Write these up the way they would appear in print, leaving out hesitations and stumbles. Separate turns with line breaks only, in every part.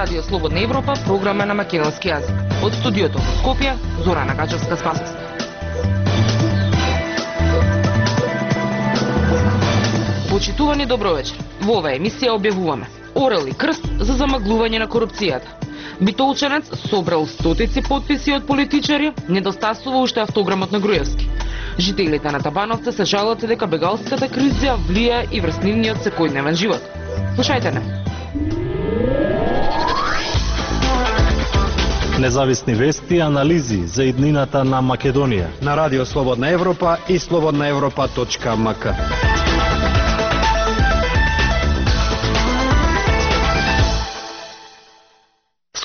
Радио Слободна Европа, програма на македонски јазик. Од студиото во Скопје, Зорана Гачевска-Спасовска. Почитувани, добро вечер. Во оваа емисија објавуваме орел и крст за замаглување на корупцијата. Битолченец собрал стотици потписи од политичари, недостасува уште автограмот на Груевски. Жителите на Табановце се жалат дека бегалската криза влија и врз нивниот секојдневен живот. Слушајте не.
Независни вести и анализи за иднината на Македонија
на Радио Слободна Европа и slobodnaevropa.mk.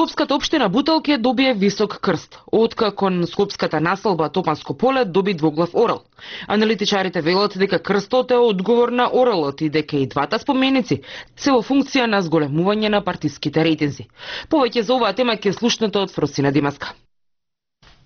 Скопската општина Буталке добие висок крст, откако скопската населба Топанско поле доби двоглав орел. Аналитичарите велат дека крстот е одговор на орелот и дека и двата споменици се во функција на зголемување на партиските рейтинзи. Повеќе за оваа тема ќе слушнете од Фросина Димаска.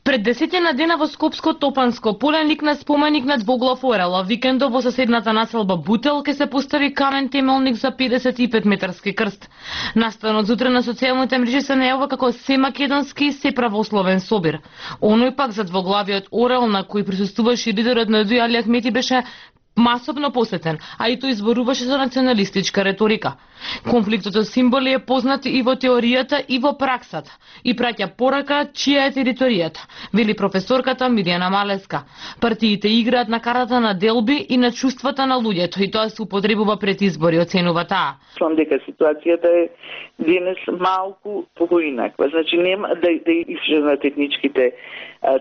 Пред 10 дена во Скопско Топанско поле никна споменик на двоглав орел, а викендов во соседната населба Бутел ке се постави камен темелник за 55 метарски крст. Наставен зутре на социјалните мрежи се најавува како се македонски и се правословен собир. Оној пак за двоглавиот орел на кој присуствуваше лидерот на ДУИ Али Ахмети беше масовно посетен, а и тој изборуваше со националистичка реторика. Конфликтот со символи е познат и во теоријата и во праксата и праќа порака чија е територијата, вели професорката Мирјана Малеска. Партиите играат на картата на делби и на чувствата на луѓето и тоа се употребува пред избори, оценува таа.
Мислам дека ситуацијата е денес малку поинаква. Значи нема да исчезнат етничките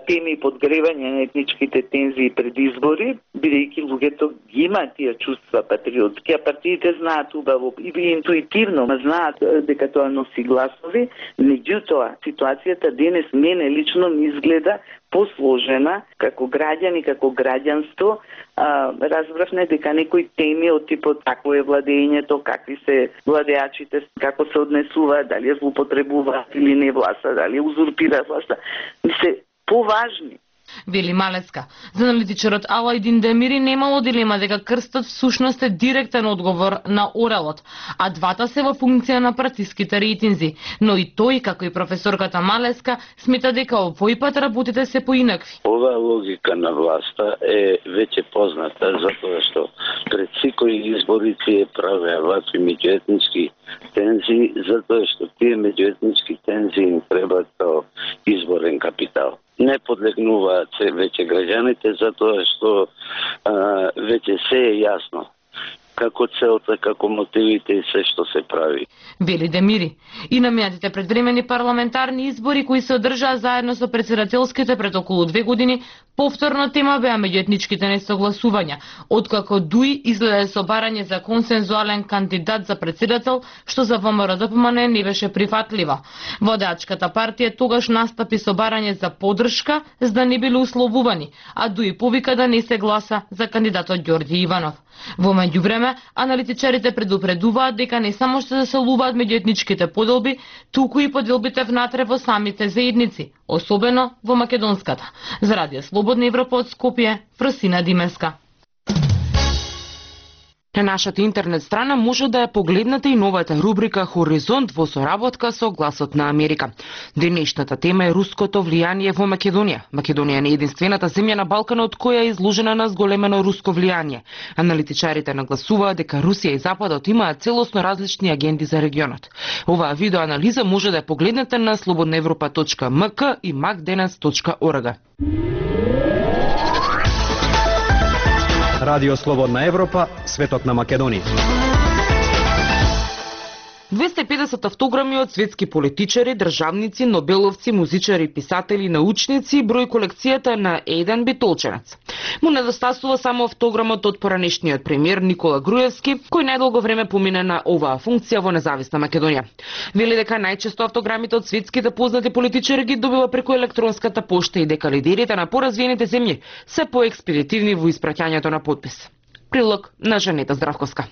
теми и подгревање на етничките тензии пред избори, бидејќи луѓето ги имаат тие чувства патриотски, а партиите знаат убаво и интуитивно знаат дека тоа носи гласови. Меѓутоа, ситуацијата денес мене лично ми изгледа посложена како граѓани, како граѓанство. Разбравме дека некои теми од типот какво е владењето, какви се владеачите, како се однесуваат, дали ја злоупотребуваат или не власта, дали узурпираат власта, се поважни.
Вели Малеска. За аналитичарот Алајдин Демири немало дилема дека крстот всушност е директен одговор на орелот, а двата се во функција на партиските рейтинзи. Но и тој, како и професорката Малеска, смета дека овој пат работите се поинакви.
Оваа логика на власта е веќе позната, затоа што пред секои избори тие правеа вакви меѓуетнички тензии, затоа што тие меѓуетнички тензии им требаат како изборен капитал. Не подлегнуваат се веќе граѓаните, затоа што веќе се е јасно како целта, како мотивите и се што се прави.
Вели Демири. И намијатите предвремени парламентарни избори кои се одржаа заедно со председателските пред околу 2 години, повторно тема беа меѓуетничките несогласувања, откако ДУИ излезе со барање за консензуален кандидат за председател, што за ВМРО-ДПМН не беше прифатлива. Водачката партија тогаш настапи со барање за поддршка, за да не биле условувани, а ДУИ повика да не се гласа за кандидатот Ѓорѓе Иванов. Во меѓувреме, аналитичарите предупредуваат дека не само што заселуваат меѓуетничките поделби, туку и поделбите внатре во самите заедници, особено во македонската. За Радио Слободна Европа од Скопје, Фросина Димеска.
На нашата интернет страна може да ја погледнете и новата рубрика Хоризонт во соработка со Гласот на Америка. Денешната тема е руското влијание во Македонија. Македонија не е единствената земја на Балканот која е изложена на зголемено руско влијание. Аналитичарите нагласуваат дека Русија и Западот имаат целосно различни агенди за регионот. Оваа видеоанализа може да ја погледнете на slobodnaevropa.mk и macdenes.org.
Радио Слободна Европа, светот на Македонија.
250 автограми од светски политичари, државници, нобеловци, музичари, писатели, научници број колекцијата на еден битолченец. Му недостасува само автограмот од поранешниот премиер Никола Груевски, кој најдолго време помине на оваа функција во независна Македонија. Вели дека најчесто автограмите од светските познати политичари ги добива преку електронската пошта и дека лидерите на поразвиените земји се поекспедитивни во испраќањето на подпис. Прилог на Жанета Здравковска.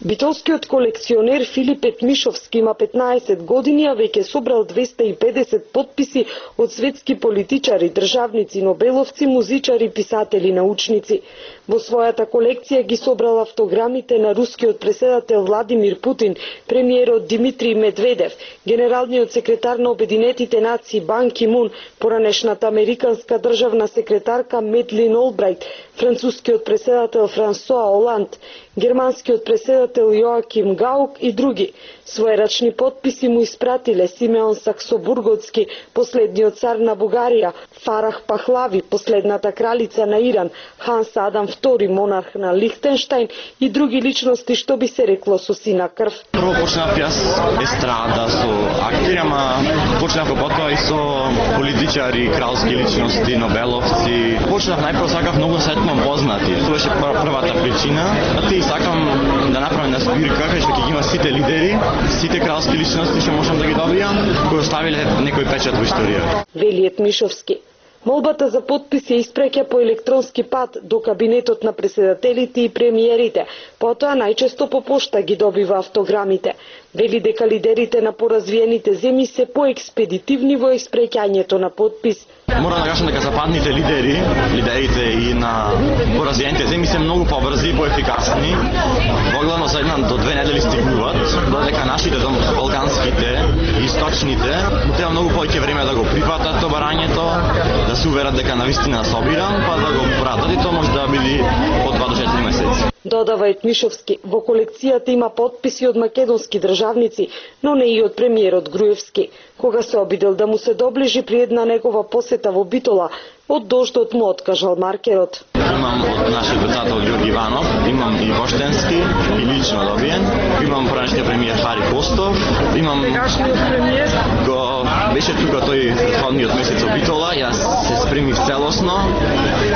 Битолскиот колекционер Филип Етмишовски има 15 години, а веќе собрал 250 потписи од светски политичари, државници, нобеловци, музичари, писатели, научници. Во својата колекција ги собрал автограмите на рускиот преседател Владимир Путин, премиерот Димитрий Медведев, генералниот секретар на Обединетите нации Бан Ки Мун, поранешната американска државна секретарка Медлин Олбрайт, францускиот преседател Франсоа Оланд, германскиот преседател Јоаким Гаук и други. Свој рачни потписи му испратиле Симеон Саксобурготски, последниот цар на Бугарија, Фарах Пахлави, последната кралица на Иран, Ханс Адам II, монарх на Лихтенштајн и други личности, што би се рекло со сина крв.
Прво почнав јас естрада со актери, ама почнав потоа и со политичари, кралски личности, нобеловци. Почнав најпрво сакав многу сетно познати. Тоа беше првата причина. А ти сакам да направам на збирка кај што ќе ги има сите лидери, сите кралски личности што можам да ги добијам, кои оставиле некој печат во историјата.
Вели Етмишовски. Молбата за потпис ја испреќа по електронски пат до кабинетот на преседателите и премиерите, потоа најчесто по пошта ги добива автограмите. Вели дека лидерите на поразвиените земји се поекспедитивни во испреќањето на потпис.
Морам да кажам дека западните лидерите и на поразвиените земји се многу побрзи и поефикасни. Огледно за 1 до 2 недели стигнуваат, додека нашите балканските, источните, треба многу повеќе време да го прифатат тоа барањето, да се уверат дека навистина собиран, па да го пратат и тоа може да биде од 2 до 4 месеци.
Додава Етмишовски, во колекцијата има потписи од македонски државници, но не и од премиерот Груевски. Кога се обидел да му се доближи при една негова посета во Битола, од дождот му откажал маркерот.
Имам од нашиот председател Ѓорги Иванов, имам и воштенски, и лично добиен, имам поранешниот премиер Хари Костов, имам го беше тука тој предходниот месец во Битола, јас се спремив целосно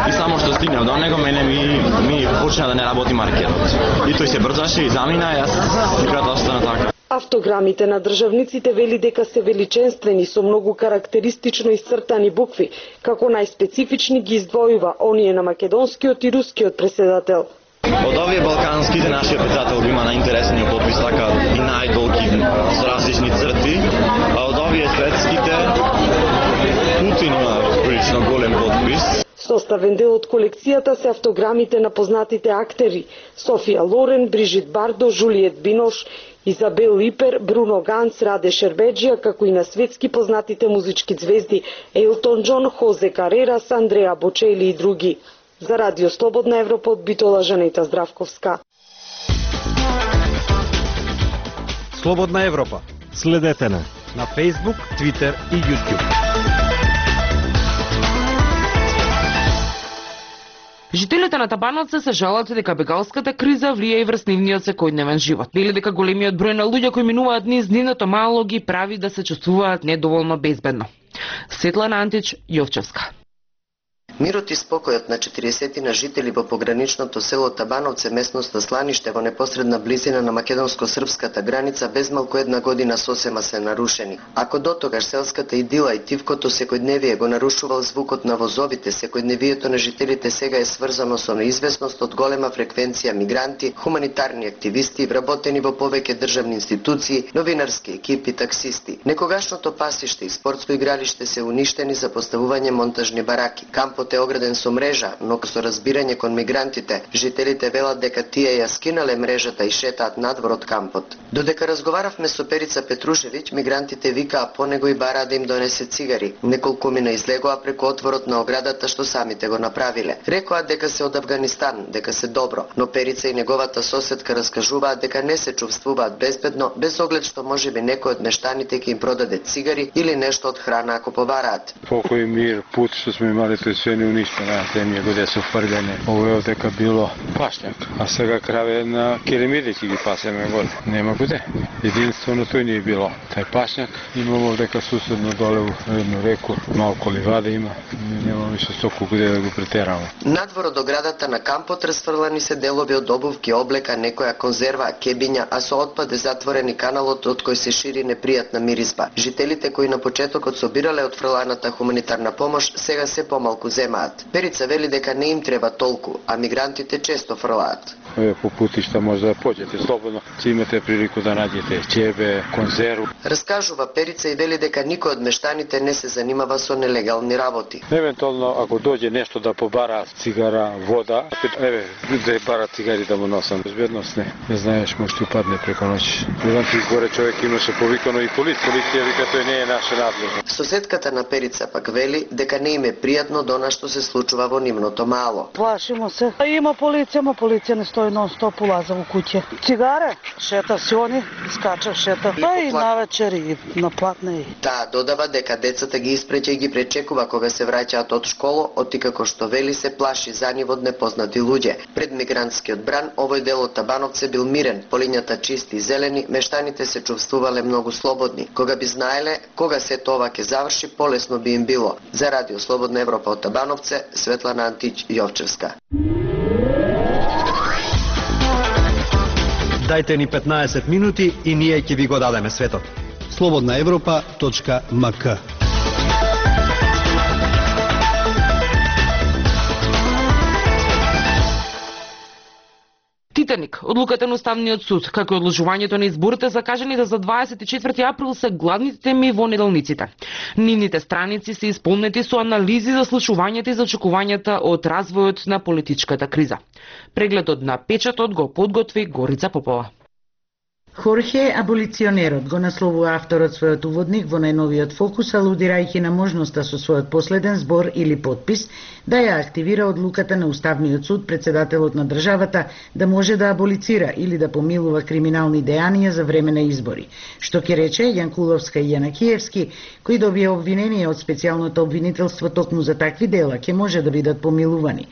и само што стигнав до него, мене ми почна да не работи маркерот. И тој се брзаше и замина, јас секогаш остана така.
Автограмите на државниците вели дека се величенствени со многу карактеристично исцртани букви, како најспецифични ги издвојува оние на македонскиот и рускиот преседател.
Од овие балканските нашиот председател има најинтересниот потпис, така и најдолги со различни црти, а од овие светските Путин има прилично голем потпис.
Составен дел од колекцијата се автограмите на познатите актери Софија Лорен, Брижит Бардо, Жулиет Бинош, Изабел Липер, Бруно Ганц, Раде Шербеджија, како и на светски познатите музички звезди Елтон Џон, Хозе Карерас, Андреа Бочели и други. За Радио Слободна Европа од Битола, Жанета Здравковска.
Слободна Европа.
Следете на
Facebook, Twitter и YouTube.
Жителите на Табановце се жалат дека бегалската криза влија и врз нивниот секојдневен живот. Вели дека големиот број на луѓе кои минуваат низ нивното мало ги прави да се чувствуваат недоволно безбедно. Светлана Антич, Јовчевска.
Мирот и спокојот на 40 на жители во пограничното село Табановце, местноста Сланиште, во непосредна близина на македонско-српската граница, без малку една година сосема се нарушени. Ако дотогаш селската идила и тивкото секојдневие го нарушувал звукот на возовите, секојдневието на жителите сега е сврзано со неизвестност од голема фреквенција мигранти, хуманитарни активисти, вработени во повеќе државни институции, новинарски екипи, таксисти. Некогашното пасиште и спортско игралиште се уништени за поставување монтажни бараки. Кампот е ограден со мрежа, но со разбирање кон мигрантите, жителите велат дека тие ја скинале мрежата и шетаат надвор од кампот. Додека разговаравме со Перица Петрушевиќ, мигрантите викаа по него и бараа да им донесе цигари. Неколку мина излегоа преку отворот на оградата што самите го направиле. Рекоа дека се од Авганистан, дека се добро, но Перица и неговата соседка раскажуваат дека не се чувствуваат безбедно, без оглед што можеби некој од мештаните ќе им продаде цигари или нешто од храна ако побараат.
Покој мир, пут што сме имали, тој се не уништена земја каде се фрljene. Ово е дека било пашњак, а сега краве на керемиди ќе ги пасеме горе. Нема куде. Единствено тој не е било. Тај пашњак имало дека суседно доле во едну реку, малку ливада има. Нема више стоку куде да го претераме.
Надвор од оградата на кампот расфрлани се делови од обувки, облека, некоја конзерва, кебиња, а со отпад е затворени каналот од кој се шири непријатна миризба. Жителите кои на почетокот собирале од фрланата хуманитарна помош, сега се помалку земаат. Перица вели дека не им треба толку, а мигрантите често фрлаат.
по путишта може да поđете слободно, ќе имате прилику да наđете ќебе, конзерву.
Раскажува Перица и вели дека никој од мештаните не се занимава со нелегални работи.
Евентуално ако доđe нешто да побара цигара, вода, да бара цигари да му носам. Безбедност не знаеш, може ти упадне преко ноќ. Еден горе човек имаше повикано и полиција вика тој не е наша надлежност.
Соседката на Перица пак вели дека не им е пријатно до она што се случува во нивното мало.
Плашимо се. Има полиција не стои нон-стоп, улаза во куќе. Цигаре, шета сиони, скача шета. И навечер и на платне.
Таа додава дека децата ги испреќа и ги пречекува кога се враќаат од школа, оти како што вели се плаши за нив од непознати луѓе. Пред мигрантскиот бран, овој дел од Табановце бил мирен, полињата чисти и зелени, мештаните се чувствувале многу слободни. Кога би знаеле кога се тоа ќе заврши, полесно би им било. За Радио Слободна Европа од Табановце, Светлана Антич Јовчевска.
Дајте ни 15 минути и ние ќе ви го дадеме светот. slobodnaevropa.mk.
Титаник, одлуката на Уставниот суд, како и одложувањето на изборите закажаните за 24 април се главните теми во неделниците. Нивните страници се исполнети со анализи за случувањата и за очекувањата од развојот на политичката криза. Прегледот на печатот го подготви Горица Попова.
Хорхе аболиционерот го насловува авторот својот уводник во најновиот фокус, алудирајќи на можноста со својот последен збор или подпис да ја активира одлуката на Уставниот суд председателот на државата да може да аболицира или да помилува криминални дејанија за време на избори. Што ќе рече Јанкуловска и Јанакиевски, кои добија обвинение од специјалното обвинителство токму за такви дела, ќе може да бидат помилувани.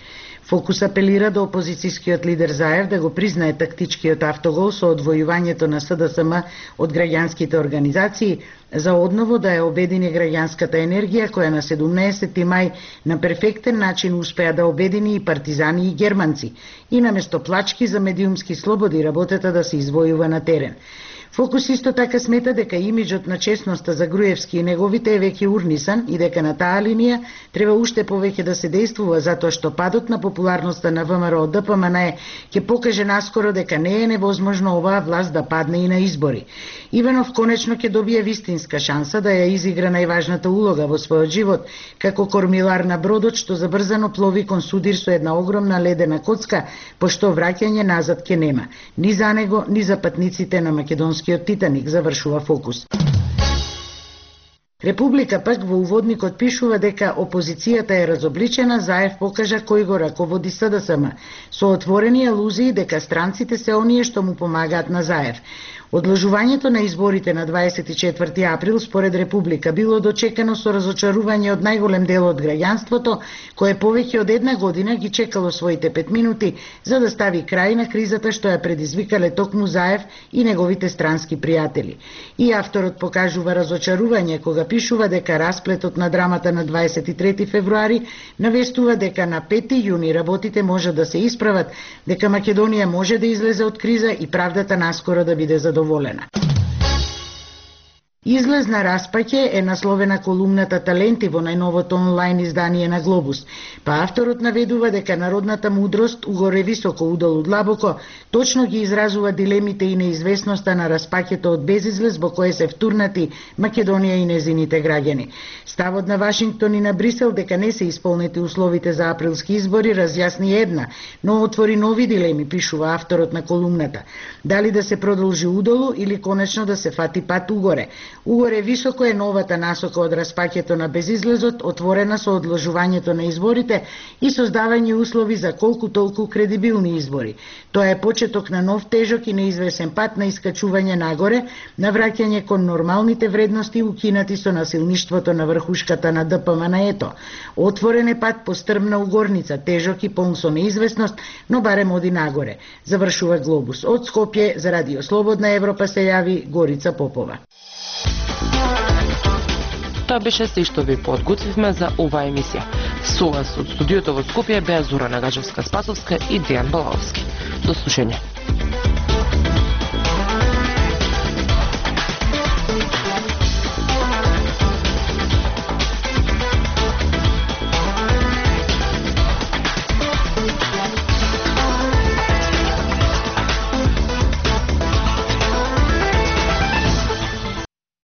Фокус апелира до опозицијскиот лидер Заев да го признае тактичкиот автогол со одвојувањето на СДСМ од граѓанските организации, за одново да ја обедини граѓанската енергија која на 17 мај на перфектен начин успеа да обедини и партизани и германци и наместо плачки за медиумски слободи работата да се извојува на терен. Фокус исто така смета дека имиджот на честноста за Груевски и неговите е веќе урнисан и дека на таа линија треба уште повеќе да се действува затоа што падот на популарноста на ВМРО ДПМН ќе покаже наскоро дека не е невозможно оваа власт да падне и на избори. Иванов конечно ќе добие вистинска шанса да ја изигра најважната улога во својот живот како кормилар на бродот што забрзано плови кон судир со една огромна ледена коцка, пошто враќање назад ќе нема, ни за него, ни за патниците на македонскиот Титаник, завршува Фокус. Република пак во уводникот пишува дека опозицијата е разобличена, Заев покажа кој го раководи СДСМ, со отворени алузии дека странците се оние што му помагаат на Заев. Одложувањето на изборите на 24 април според Република било дочекано со разочарување од најголем дел од граѓанството, кое повеќе од една година ги чекало своите 5 минути за да стави крај на кризата што ја предизвикале токму Заев и неговите странски пријатели. И авторот покажува разочарување кога пишува дека расплетот на драмата на 23 февруари навестува дека на 5 јуни работите може да се исправат, дека Македонија може да излезе од криза и правдата наскоро да биде задоволена. Излез на распаќе е насловена колумната Таленти во најновото онлайн издание на Глобус, па авторот наведува дека народната мудрост угоре високо, удолу длабоко, точно ги изразува дилемите и неизвестноста на распаќето од безизлез во кое се втурнати Македонија и незините граѓани. Ставот на Вашингтон и на Брисел дека не се исполнети условите за априлски избори разјасни една, но отвори нови дилеми, пишува авторот на колумната. Дали да се продолжи удолу или конечно да се фати пат угоре. Угоре високо е новата насока од распаќето на безизлезот, отворена со одложувањето на изборите и создавање услови за колку толку кредибилни избори. Тоа е почеток на нов тежок и неизвесен пат на искачување нагоре, на враќање кон нормалните вредности укинати со насилништвото на врхушката на ДПМН-ето. Отворен е пат по стрмна угорница, тежок и полн со неизвестност, но барем оди нагоре. Завршува Глобус. Од Скопје за Радио Слободна Европа се јави Горица Попова.
Тоа беше се што ви подготвивме за оваа емисија. Со вас од студиото во Скопје беа Зора Нагачевска-Спасовска и Дејан Балаовски. До слушање.